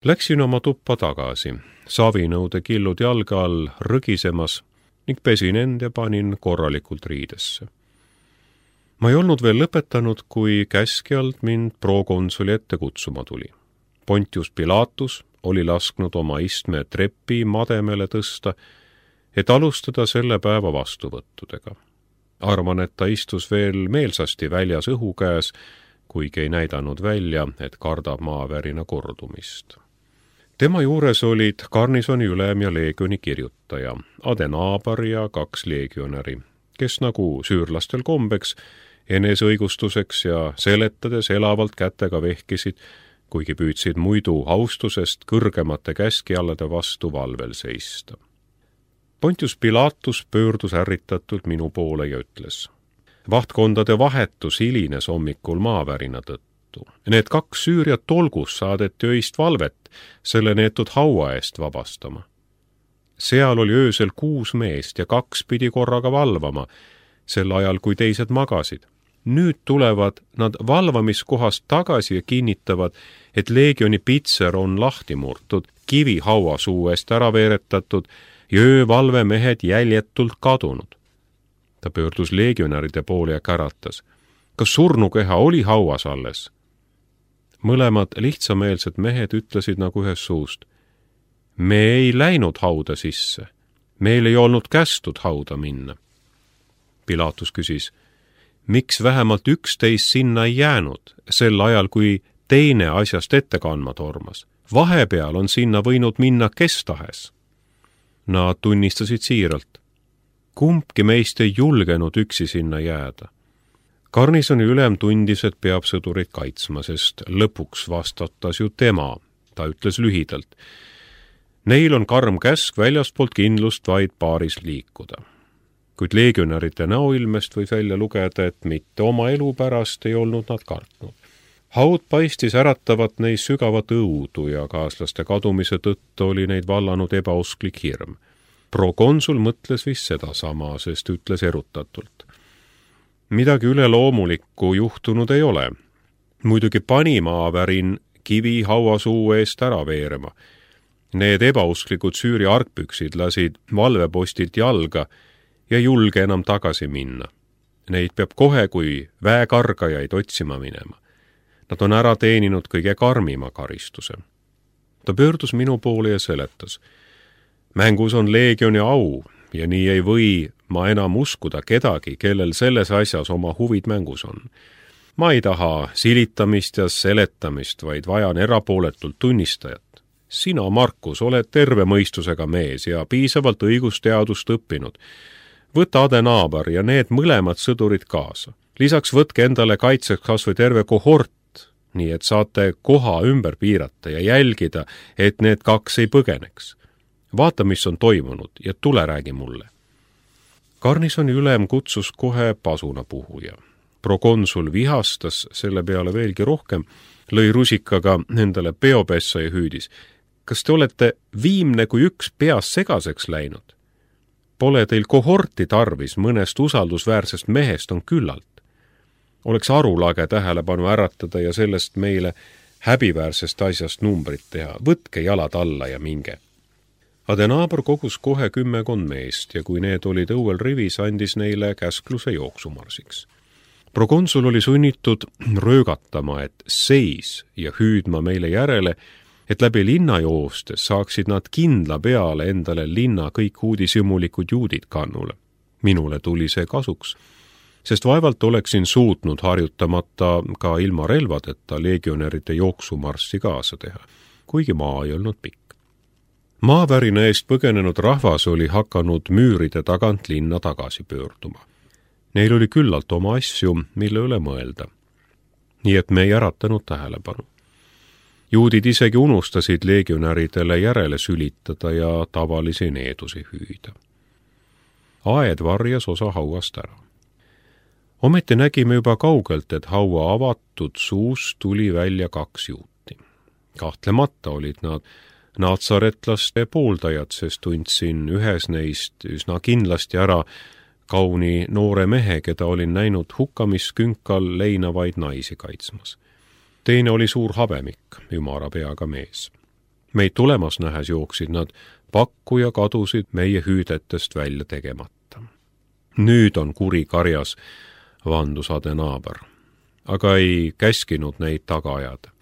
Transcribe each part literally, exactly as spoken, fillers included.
Läksin oma tuppa tagasi, savinõude killud jalga all rõgisemas ning pesin end ja panin korralikult riidesse. Ma ei olnud veel lõpetanud, kui käskjalt mind prokonsuli ette kutsuma tuli. Pontius Pilatus oli lasknud oma istme trepi mademele tõsta, et alustada selle päeva vastuvõttudega. Arvan, et ta istus veel meelsasti väljas õhu käes, kuigi ei näidanud välja, et kardab maavärina kordumist. Tema juures olid garnisoni ülem ja leegioni kirjutaja, Adenaabar ja kaks leegionäri, kes nagu süürlastel kombeks, eneseõigustuseks ja seletades elavalt kätega vehkisid, kuigi püüdsid muidu austusest kõrgemate käskjallade vastu valvel seista. Pontius Pilatus pöördus ärritatult minu poole ja ütles: vahtkondade vahetus hilines hommikul maavärina tõttu. Need kaks Süüria tolgus saadeti öist valvet selle neetud haua eest vabastama. Seal oli öösel kuus meest ja kaks pidi korraga valvama, sel ajal kui teised magasid. Nüüd tulevad nad valvamiskohast tagasi ja kinnitavad, et leegioni pitser on lahti murtud, kivi haua suu eest ära veeretatud ja öövalvemehed jäljetult kadunud. Ta pöördus leegionäride poole ja käratas: kas surnukeha oli hauas alles? Mõlemad lihtsameelsed mehed ütlesid nagu ühes suust: me ei läinud hauda sisse, meil ei olnud kästud hauda minna. Pilatus küsis: miks vähemalt üksteist sinna ei jäänud, sel ajal, kui teine asjast ette kandma tormas? Vahepeal on sinna võinud minna kes tahes. Nad tunnistasid siiralt: kumbki meist ei julgenud üksi sinna jääda. Garnisoni ülem tundis, et peab sõdurit kaitsma, sest lõpuks vastatas ju tema. Ta ütles lühidalt: neil on karm käsk väljaspoolt kindlust vaid paaris liikuda. Kuid leegionäride näoilmest võib välja lugeda, et mitte oma elu pärast ei olnud nad kartnud. Haud paistis äratavat neis sügavat õudu ja kaaslaste kadumise tõttu oli neid vallanud ebausklik hirm. Prokonsul mõtles vist sedasama, sest ütles erutatult: midagi üleloomulikku juhtunud ei ole. Muidugi pani maavärin kivi hauasuu eest ära veerema. Need ebausklikud Süüri argpüksid lasid valvepostilt jalga ja julge enam tagasi minna. Neid peab kohe kui väekargajaid otsima minema. Nad on ära teeninud kõige karmima karistuse. Ta pöördus minu poole ja seletas: mängus on leegioni au ja nii ei või ma enam uskuda kedagi, kellel selles asjas oma huvid mängus on. Ma ei taha silitamist ja seletamist, vaid vajan erapooletult tunnistajat. Sina, Markus, oled terve mõistusega mees ja piisavalt õigusteadust õppinud. Võta Adenaabar ja need mõlemad sõdurid kaasa. Lisaks võtke endale kaitseks kas või terve kohort, nii et saate koha ümber piirata ja jälgida, et need kaks ei põgeneks. Vaata, mis on toimunud ja tule räägi mulle. Garnisoni ülem kutsus kohe pasunapuhuja. Prokonsul vihastas selle peale veelgi rohkem, lõi rusikaga endale peopessa ja hüüdis: kas te olete viimne kui üks peas segaseks läinud? Pole teil kohorti tarvis, mõnest usaldusväärsest mehest on küllalt. Oleks arulage tähelepanu äratada ja sellest meile häbiväärsest asjast numbrit teha. Võtke jalad alla ja minge. Adenaabar kogus kohe kümmekond meest ja kui need olid õuel rivis, andis neile käskluse jooksumarsiks. Prokonsul oli sunnitud röögatama, et seis ja hüüdma meile järele, et läbi linna joostes saaksid nad kindla peale endale linna kõik uudishimulikud juudid kannule. Minule tuli see kasuks, sest vaevalt oleksin suutnud harjutamata ka ilma relvadeta leegionäride jooksumarssi kaasa teha, kuigi maa ei olnud pikk. Maavärina eest põgenenud rahvas oli hakanud müüride tagant linna tagasi pöörduma. Neil oli küllalt oma asju, mille üle mõelda. Nii et me ei äratanud tähelepanu. Juudid isegi unustasid leegionäridele järele sülitada ja tavalisi needusi hüüda. Aed varjas osa hauast ära. Ometi nägime juba kaugelt, et haua avatud suust tuli välja kaks juuti. Kahtlemata olid nad natsaretlaste pooldajad, sest tundsin ühes neist üsna kindlasti ära kauni noore mehe, keda olin näinud hukkamiskünkal leinavaid naisi kaitsmas. Teine oli suur habemik, ümara peaga mees. Meid tulemas nähes jooksid nad pakku ja kadusid meie hüüdetest välja tegemata. Nüüd on kuri karjas, vandus Adenaaber, aga ei käskinud neid taga ajada.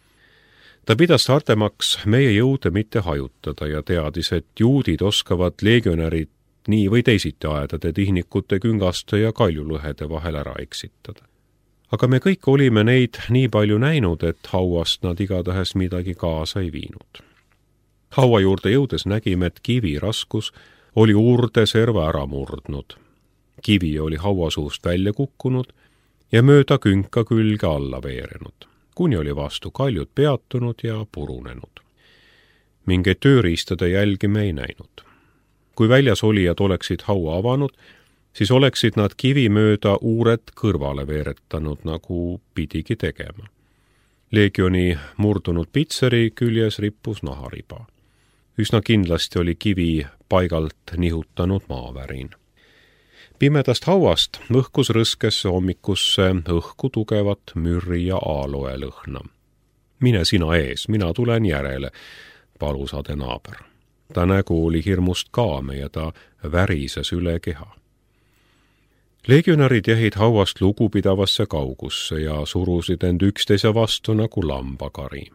Ta pidas tartemaks meie jõude mitte hajutada ja teadis, et juudid oskavad legionärid nii või teisiti aedade tihnikute küngaste ja kaljulõhede vahel ära eksitada. Aga me kõik olime neid nii palju näinud, et hauast nad igatahes midagi kaasa ei viinud. Haua juurde jõudes nägime, et kivi raskus oli urde serva ära murdnud. Kivi oli haua suust välja kukkunud ja mööda künka külge alla veerenud, kuni oli vastu kaljud peatunud ja purunenud. Mingeid tööriistade jälgi me ei näinud. Kui väljas olijad oleksid haua avanud, siis oleksid nad kivi mööda uured kõrvale veeretanud, nagu pidigi tegema. Leegioni murdunud pitseri küljes rippus nahariba. Üsna kindlasti oli kivi paigalt nihutanud maavärin. Pimedast hauast õhkus rõskesse hommikusse õhku tugevat mürri ja aaloe lõhna. Mine sina ees, mina tulen järele, palus Adenaaber. Ta nägu oli hirmust kaame ja ta värises üle keha. Legionärid jäid hauast lugupidavasse kaugusse ja surusid end üksteise vastu nagu lambakari.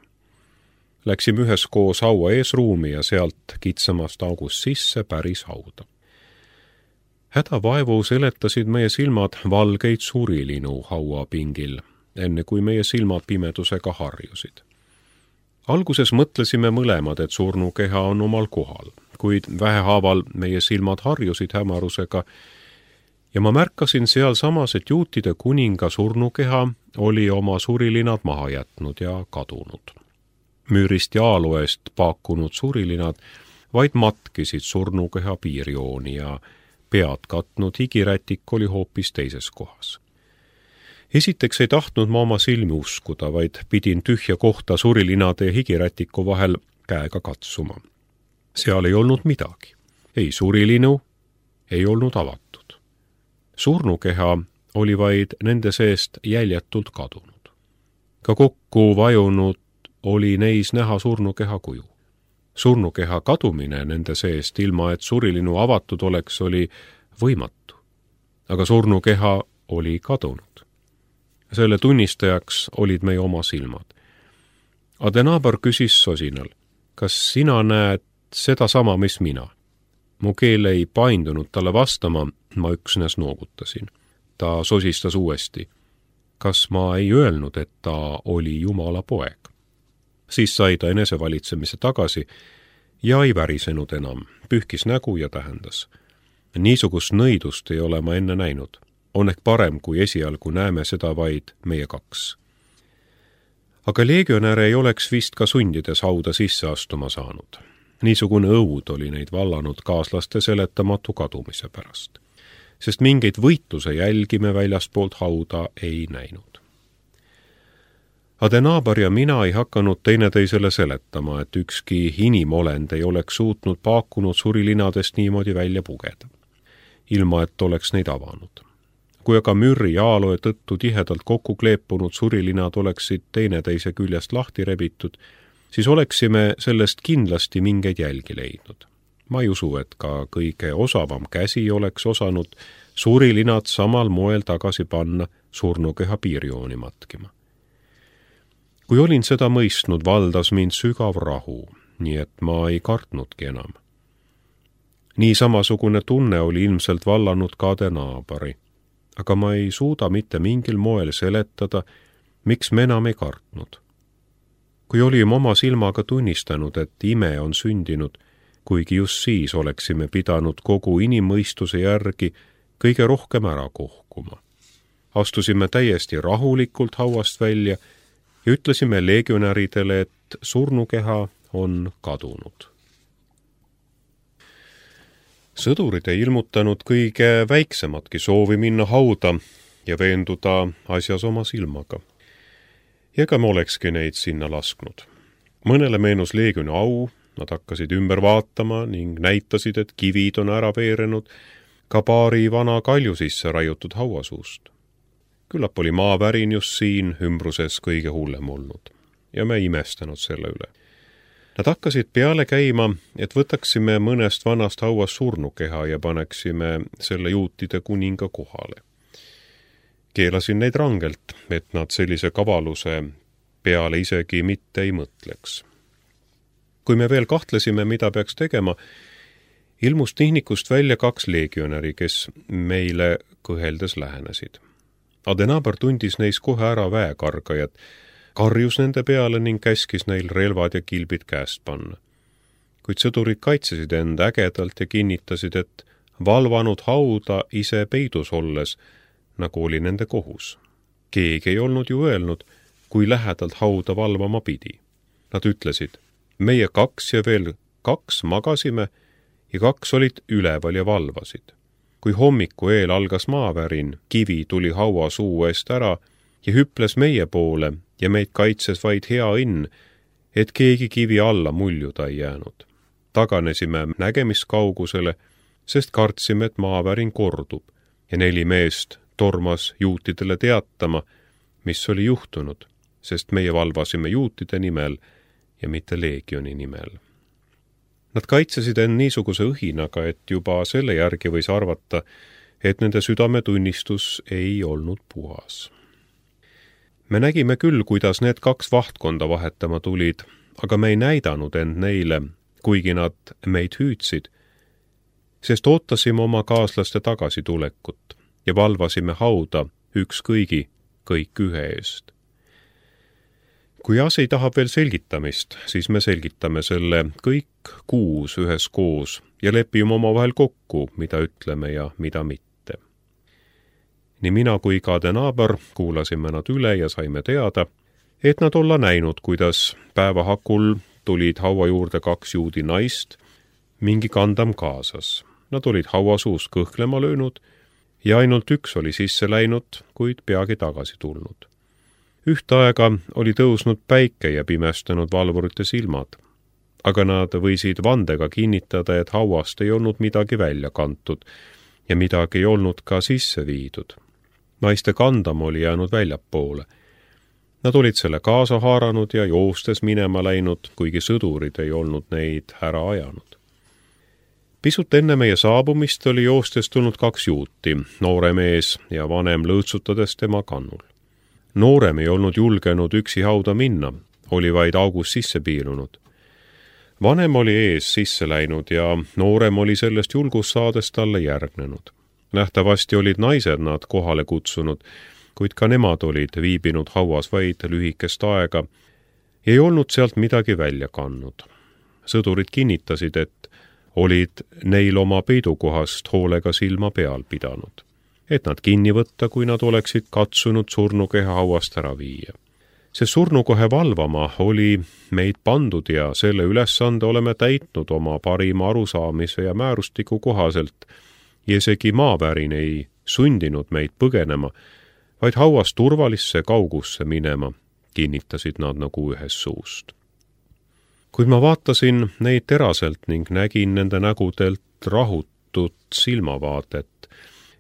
Läksime üheskoos haua eesruumi ja sealt kitsamast august sisse päris hauda. Hädavaevu seletasid meie silmad valgeid surilinu haua pingil, enne kui meie silmad pimedusega harjusid. Alguses mõtlesime mõlemad, et surnukeha on omal kohal, kuid vähehaaval meie silmad harjusid hämarusega ja ma märkasin seal samas, et juutide kuninga surnukeha oli oma surilinad maha jätnud ja kadunud. Müürist ja aaloest paakunud surilinad vaid matkisid surnukeha piirjooni ja pead katnud higirätik oli hoopis teises kohas. Esiteks ei tahtnud ma oma silmi uskuda, vaid pidin tühja kohta surilinade ja higirätiku vahel käega katsuma. Seal ei olnud midagi. Ei surilinu, ei olnud avatud. Surnukeha oli vaid nende seest jäljetult kadunud. Ka kokku vajunud oli neis näha surnukeha kuju. Surnukeha kadumine nende seest ilma, et surilinu avatud oleks, oli võimatu. Aga surnukeha oli kadunud. Selle tunnistajaks olid meie oma silmad. Adenaaber küsis sosinal, kas sina näed seda sama, mis mina? Mu keel ei paindunud talle vastama, ma üksnes noogutasin. Ta sosistas uuesti. Kas ma ei öelnud, et ta oli Jumala poeg? Siis sai ta enesevalitsemise tagasi ja ei värisenud enam, pühkis nägu ja tähendas. Niisugust nõidust ei ole ma enne näinud. On ehk parem, kui esialgu näeme seda vaid meie kaks. Aga legionäre ei oleks vist ka sundides hauda sisse astuma saanud. Niisugune õud oli neid vallanud kaaslaste seletamatu kadumise pärast, sest mingeid võitluse jälgi me väljaspoolt hauda ei näinud. Adenaaber ja mina ei hakanud teineteisele seletama, et ükski inimolend ei oleks suutnud paakunud surilinadest niimoodi välja pugeda, ilma et oleks neid avanud. Kui aga mürri ja aaloe tõttu tihedalt kokku kleepunud surilinad oleksid teineteise küljest lahti rebitud, siis oleksime sellest kindlasti mingeid jälgi leidnud. Ma ei usu, et ka kõige osavam käsi oleks osanud surilinad samal moel tagasi panna surnukeha piirjooni matkima. Kui olin seda mõistnud, valdas mind sügav rahu, nii et ma ei kartnudki enam. Nii samasugune tunne oli ilmselt vallanud ka Adenaaberi, aga ma ei suuda mitte mingil moel seletada, miks me enam ei kartnud. Kui olime oma silmaga tunnistanud, et ime on sündinud, kuigi just siis oleksime pidanud kogu inimmõistuse järgi kõige rohkem ära kohkuma. Astusime täiesti rahulikult hauast välja ja ütlesime legionäridele, et surnukeha on kadunud. Sõdurid ei ilmutanud kõige väiksematki soovi minna hauda ja veenduda asjas oma silmaga. Ja ega me olekski neid sinna lasknud. Mõnele meenus leegioni au, nad hakkasid ümber vaatama ning näitasid, et kivid on ära veerenud ka paari vana kalju sisse raiutud hauasuust. Küllap oli maavärin just siin ümbruses kõige hullem olnud ja me ei imestanud selle üle. Nad hakkasid peale käima, et võtaksime mõnest vanast hauast surnukeha ja paneksime selle juutide kuninga kohale. Keelasin neid rangelt, et nad sellise kavaluse peale isegi mitte ei mõtleks. Kui me veel kahtlesime, mida peaks tegema, ilmus tihnikust välja kaks leegionäri, kes meile kõheldes lähenesid. Adenauer tundis neis kohe ära väekargajad, karjus nende peale ning käskis neil relvad ja kilbid käest panna. Kuid sõdurid kaitsesid end ägedalt ja kinnitasid, et valvanud hauda ise peidus olles, nagu oli nende kohus. Keegi ei olnud ju öelnud, kui lähedalt hauda valvama pidi. Nad ütlesid, meie kaks ja veel kaks magasime ja kaks olid üleval ja valvasid. Kui hommiku eel algas maavärin, kivi tuli haua suu eest ära ja hüples meie poole ja meid kaitses vaid hea õnn, et keegi kivi alla muljuda ei jäänud. Taganesime nägemiskaugusele, sest kartsime, et maavärin kordub ja neli meest tormas juutidele teatama, mis oli juhtunud, sest meie valvasime juutide nimel ja mitte leegioni nimel. Nad kaitsesid end niisuguse õhinaga, et juba selle järgi võis arvata, et nende südametunnistus ei olnud puhas. Me nägime küll, kuidas need kaks vahtkonda vahetama tulid, aga me ei näidanud end neile, kuigi nad meid hüüdsid, sest ootasime oma kaaslaste tagasitulekut ja valvasime hauda üks kõigi, kõik ühe eest. Kui asi tahab veel selgitamist, siis me selgitame selle kõik kuus ühes koos ja lepime omavahel kokku, mida ütleme ja mida mitte. Nii mina kui ka Adenauer kuulasime nad üle ja saime teada, et nad olla näinud, kuidas päevahakul tulid haua juurde kaks juudi naist, mingi kandam kaasas. Nad olid hauasuus kõhklema löönud ja ainult üks oli sisse läinud, kuid peagi tagasi tulnud. Ühte aega oli tõusnud päike ja pimestanud valvurite silmad, aga nad võisid vandega kinnitada, et hauast ei olnud midagi välja kantud ja midagi ei olnud ka sisse viidud. Naiste kandam oli jäänud väljapoole. Nad olid selle kaasa haaranud ja joostes minema läinud, kuigi sõdurid ei olnud neid ära ajanud. Pisut enne meie saabumist oli joostes tulnud kaks juuti, noore mees ja vanem lõõtsutades tema kannul. Noorem ei olnud julgenud üksi hauda minna, oli vaid augus sisse piilunud. Vanem oli ees sisse läinud ja noorem oli sellest julgus saades talle järgnenud. Nähtavasti olid naised nad kohale kutsunud, kuid ka nemad olid viibinud hauas vaid lühikest aega ja ei olnud sealt midagi välja kannud. Sõdurid kinnitasid, et olid neil oma peidukohast hoolega silma peal pidanud, et nad kinni võtta, kui nad oleksid katsunud surnukeha hauast ära viia. See surnukohe valvama oli meid pandud ja selle ülesande oleme täitnud oma parima arusaamise ja määrustiku kohaselt ja isegi maavärin ei sundinud meid põgenema, vaid hauast turvalisse kaugusse minema, kinnitasid nad nagu ühes suust. Kuid ma vaatasin neid teraselt ning nägin nende nägudelt rahutut silmavaadet,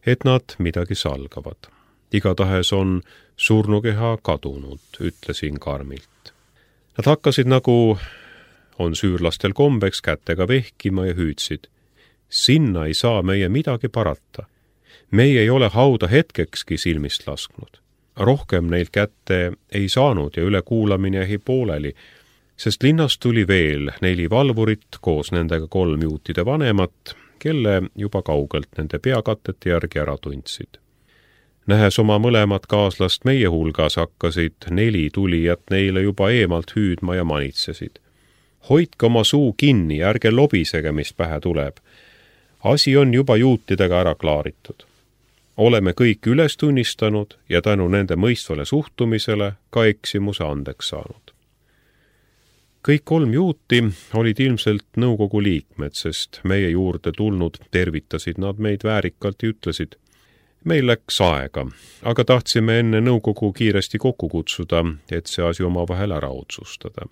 et nad midagi salgavad. Igatahes on surnukeha kadunud, ütlesin karmilt. Nad hakkasid nagu on süürlastel kombeks kätega vehkima ja hüüdsid. Sinna ei saa meie midagi parata. Meie ei ole hauda hetkekski silmist lasknud. Rohkem neilt kätte ei saanud ja ülekuulamine jäi pooleli, sest linnast tuli veel neli valvurit koos nendega kolm juutide vanemat, kelle juba kaugelt nende peakatete järgi ära tundsid. Nähes oma mõlemad kaaslast meie hulgas hakkasid neli tulijat neile juba eemalt hüüdma ja manitsesid. Hoidke oma suu kinni, ärge lobisege, mis pähe tuleb. Asi on juba juutidega ära klaaritud. Oleme kõik üles tunnistanud ja tänu nende mõistvale suhtumisele ka eksimuse andeks saanud. Kõik kolm juuti olid ilmselt nõukogu liikmed, sest meie juurde tulnud tervitasid nad meid väärikalt ja ütlesid, meil läks aega, aga tahtsime enne nõukogu kiiresti kokku kutsuda, et see asi omavahel ära otsustada.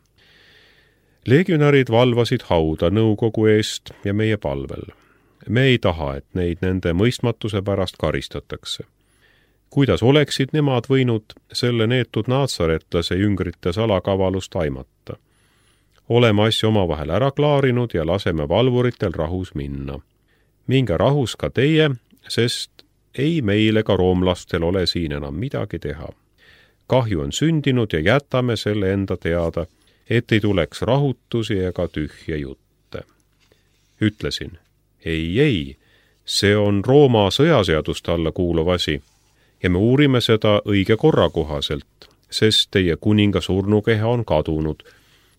Legionärid valvasid hauda nõukogu eest ja meie palvel. Me ei taha, et neid nende mõistmatuse pärast karistatakse. Kuidas oleksid nemad võinud selle neetud naatsaretlase jüngrite salakavalust aimata? oleme asja omavahel ära klaarinud ja laseme valvuritel rahus minna. Minge rahus ka teie, sest ei meil ega roomlastel ole siin enam midagi teha. Kahju on sündinud ja jätame selle enda teada, et ei tuleks rahutusi ega tühje jutte. Ütlesin, ei, ei, see on Rooma sõjaseaduste alla kuuluv asi ja me uurime seda õige korra kohaselt, sest teie kuninga surnukeha on kadunud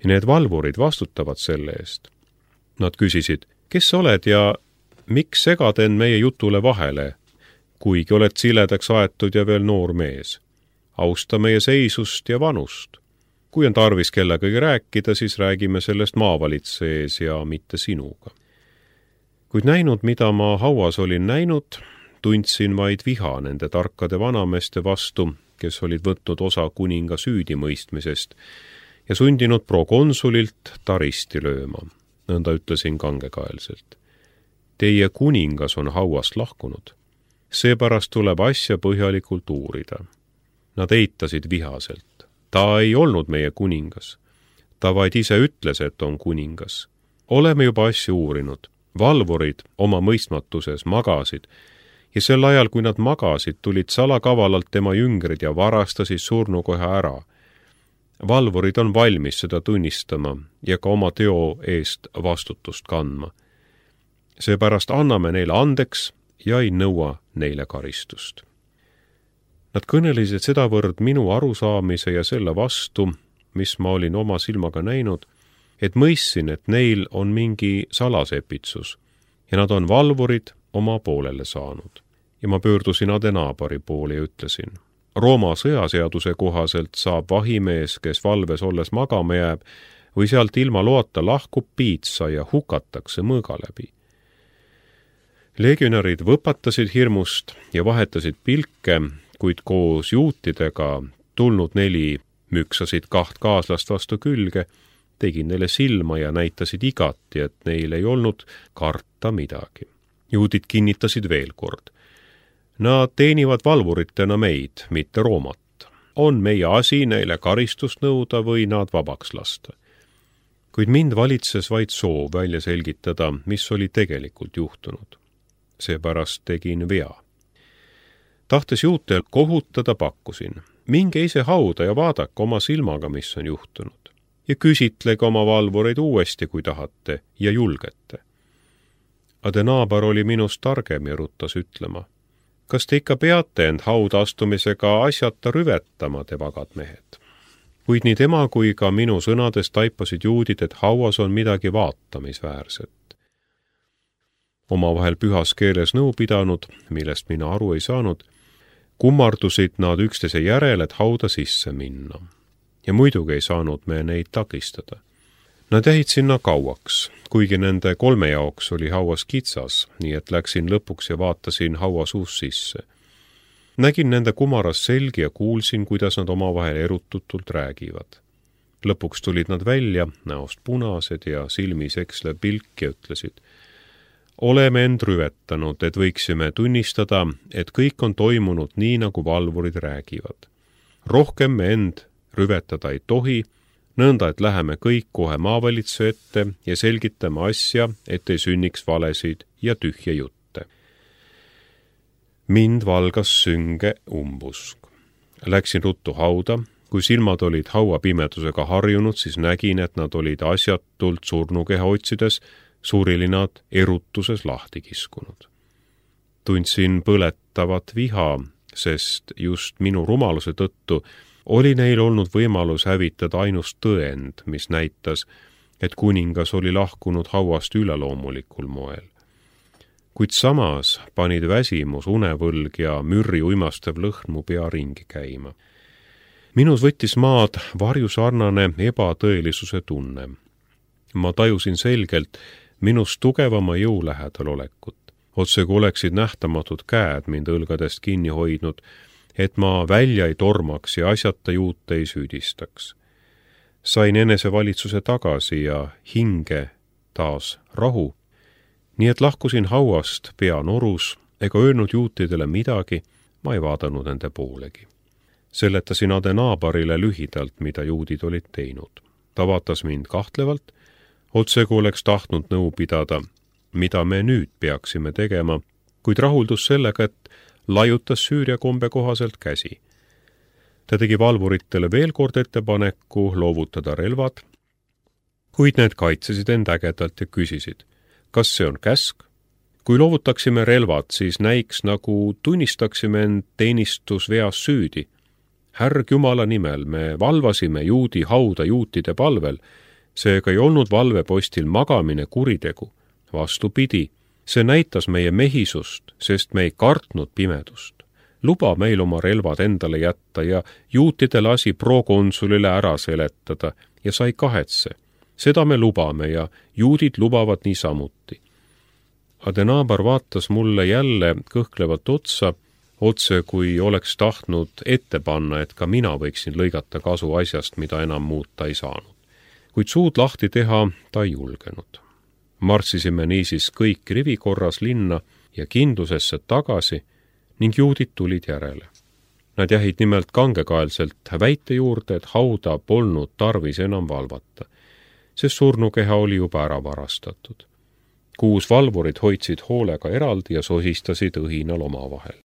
ja need valvurid vastutavad selle eest. Nad küsisid, kes sa oled ja miks segad end meie jutule vahele, kuigi oled siledaks aetud ja veel noor mees. Austa meie seisust ja vanust. Kui on tarvis kellegagi rääkida, siis räägime sellest maavalitse ees ja mitte sinuga. Kuid näinud, mida ma hauas olin näinud, tundsin vaid viha nende tarkade vanameeste vastu, kes olid võtnud osa kuninga süüdimõistmisest ja sundinud prokonsulilt taristi lööma. Nõnda ütlesin kangekaelselt. Teie kuningas on hauast lahkunud. Seepärast tuleb asja põhjalikult uurida. Nad eitasid vihaselt. Ta ei olnud meie kuningas. Ta vaid ise ütles, et on kuningas. Oleme juba asja uurinud. Valvurid oma mõistmatuses magasid ja sel ajal, kui nad magasid, tulid salakavalalt tema jüngrid ja varastasid surnukoha ära. Valvurid on valmis seda tunnistama ja ka oma teo eest vastutust kandma. Seepärast anname neile andeks ja ei nõua neile karistust. Nad kõnelisid sedavõrd minu arusaamise ja selle vastu, mis ma olin oma silmaga näinud, et mõistsin, et neil on mingi salasepitsus ja nad on valvurid oma poolele saanud. Ja ma pöördusin Adenaabari poole ja ütlesin, Rooma sõjaseaduse kohaselt saab vahimees, kes valves olles magama jääb, või sealt ilma loata lahkub piitsa ja hukatakse mõõga läbi. Legionärid võpatasid hirmust ja vahetasid pilke, kuid koos juutidega tulnud neli müksasid kaht kaaslast vastu külge, tegin neile silma ja näitasid igati, et neil ei olnud karta midagi. Juudid kinnitasid veel kord. Nad teenivad valvuritena meid, mitte Roomat. On meie asi neile karistust nõuda või nad vabaks lasta. Kuid mind valitses vaid soov välja selgitada, mis oli tegelikult juhtunud. Seepärast tegin vea. Tahtes juutel kohutada, pakkusin. Minge ise hauda ja vaadake oma silmaga, mis on juhtunud. Ja küsitlege oma valvureid uuesti, kui tahate, ja julgete. Adenaabar oli minust targem ja ruttas ütlema. Kas te ikka peate end hauda astumisega asjata rüvetama, te vagad mehed? Kuid nii tema kui ka minu sõnades taipasid juudid, et hauas on midagi vaatamisväärset. Omavahel pühas keeles nõu pidanud, millest mina aru ei saanud, kummardusid nad üksteise järel, et hauda sisse minna. Ja muidugi ei saanud me neid takistada. Nad jäid sinna kauaks, kuigi nende kolme jaoks oli hauas kitsas, nii et läksin lõpuks ja vaatasin haua suus sisse. Nägin nende kumaras selgi ja kuulsin, kuidas nad omavahel erututult räägivad. Lõpuks tulid nad välja, näost punased ja silmis ekslev pilk ja ütlesid, oleme end rüvetanud, et võiksime tunnistada, et kõik on toimunud nii, nagu valvurid räägivad. Rohkem me end rüvetada ei tohi, nõnda, et läheme kõik kohe maavalitse ette ja selgitame asja, et ei sünniks valesid ja tühje jutte. Mind valgas sünge umbusk. Läksin ruttu hauda, kui silmad olid hauapimedusega harjunud, siis nägin, et nad olid asjatult surnukeha otsides, suurilinad erutuses lahti kiskunud. Tundsin põletavat viha, sest just minu rumaluse tõttu oli neil olnud võimalus hävitada ainust tõend, mis näitas, et kuningas oli lahkunud hauast üleloomulikul moel. Kuid samas panid väsimus, unevõlg ja mürri uimastev lõhn mu pea ringi käima. Minus võttis maad varjusarnane ebatõelisuse tunne. Ma tajusin selgelt minust tugevama jõu lähedal olekut. Otse kui oleksid nähtamatud käed mind õlgadest kinni hoidnud, et ma välja ei tormaks ja asjata juute ei süüdistaks. Sain enesevalitsuse tagasi ja hinge taas rahu, nii et lahkusin hauast pea norus ega öelnud juutidele midagi, ma ei vaadanud nende poolegi. Seletasin Adenaabarile lühidalt, mida juudid olid teinud. ta vaatas mind kahtlevalt, otse kui oleks tahtnud nõu pidada, mida me nüüd peaksime tegema, kuid rahuldus sellega, et laiutas Süüria kombe kohaselt käsi. Ta tegi valvuritele veel kord ettepaneku loovutada relvad, kuid need kaitsesid end ägedalt ja küsisid, kas see on käsk? Kui loovutaksime relvad, siis näiks, nagu tunnistaksime end teenistusveas süüdi. Härg Jumala nimel me valvasime juudi hauda juutide palvel, seega ei olnud valvepostil magamine kuritegu. Vastupidi, see näitas meie mehisust, sest me ei kartnud pimedust. Luba meil oma relvad endale jätta ja juutide lasi prokonsulile ära seletada ja sai kahetse. Seda me lubame ja juudid lubavad niisamuti. Adenabar vaatas mulle jälle kõhklevat otsa, otse kui oleks tahtnud ette panna, et ka mina võiksin lõigata kasu asjast, mida enam muuta ei saanud. Kuid suud lahti teha ta ei julgenud. Marssisime niisiis kõik rivikorras linna ja kindlusesse tagasi ning juudid tulid järele. Nad jäid nimelt kangekaelselt väite juurde, et hauda polnud tarvis enam valvata, sest surnukeha oli juba ära varastatud. Kuus valvurid hoidsid hoolega eraldi ja sosistasid õhinal omavahel.